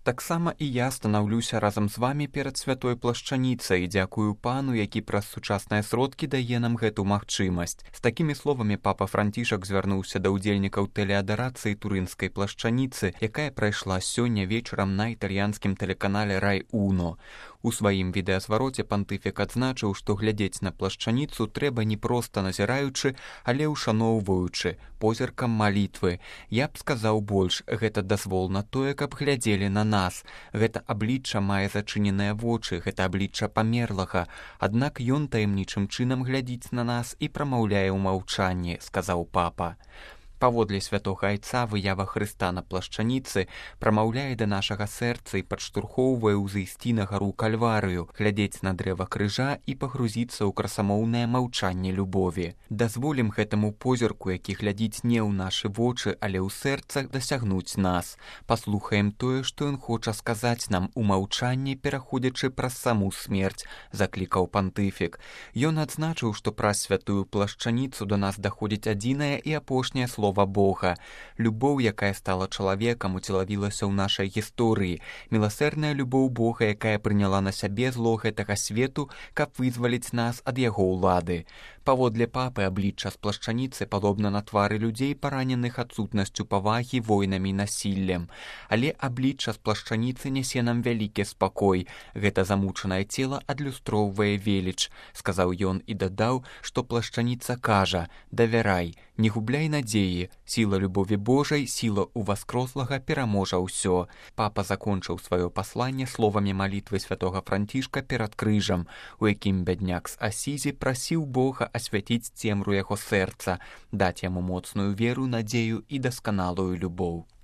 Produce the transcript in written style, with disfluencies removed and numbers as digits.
Таксама і я станаўлюся разам з вамі перад святой плашчаніцай і дзякую пану, які праз сучасныя сродкі дае нам гэту магчымасць. З такімі словамі папа Францішак звярнуўся да ўдзельнікаў тэлеадарацыі турынскай плашчаніцы, якая прайшла сёння вечарам на італьянскім тэлеканале Рай Уно. У сваім відэазвароце пантыфік адзначыў, што глядзець на плашчаніцу трэба не проста назіраючы, але ўшаноўваючы, позіркам малітвы. Я б сказаў больш, гэта дазвол на тое, каб глядзелі на нас. Гэта аблічча мае зачыненыя вочы, гэта аблічча памерлага. Аднак ён таямнічым чынам глядзіць на нас і прамаўляе ў маўчанні, сказаў папа. Паводле святога айца выява Хрыста на плашчаніцы прамаўляе да нашага сэрца і падштурхоўвае ўзысці на гару Кальварыю, глядзець на дрэва крыжа і пагрузіцца ў красамоўнае маўчанне любові. Дазволім гэтаму позірку, які глядзіць не ў нашы вочы, але ў сэрцах, дасягнуць нас. Паслухаем тое, што ён хоча сказаць нам у маўчанні, пераходзячы праз саму смерць, заклікаў пантыфік. Ён адзначыў, што праз святую плашчаніцу да нас даходзіць адзінае і апошняе слово Бога. Любоў, якая стала чалавекам, уцелавілася ў нашай гісторыі. Міласэрная любоў Бога, якая прыняла на сябе зло гэтага свету, каб вызваліць нас ад яго ўлады. Паводле папы аблічча з плашчаніцы падобна на твары людзей, параненых адсутнасцю павагі, войнамі і насіллем. Але аблічча з плашчаніцы нясе нам вялікі спакой. Гэта замучанае цела адлюстроўвае веліч, сказаў ён і дадаў, што плашчаніца кажа: давярай, не губляй надзеі, сіла любові Божай, сіла ўваскрослага пераможа ўсё. Папа закончыў сваё пасланне словамі малітвы святога Францішка перад крыжам, у якім бядняк з Асізі прасіў Бога асвяціць цемру яго сэрца, даць яму моцную веру, надзею і дасканалую любоў.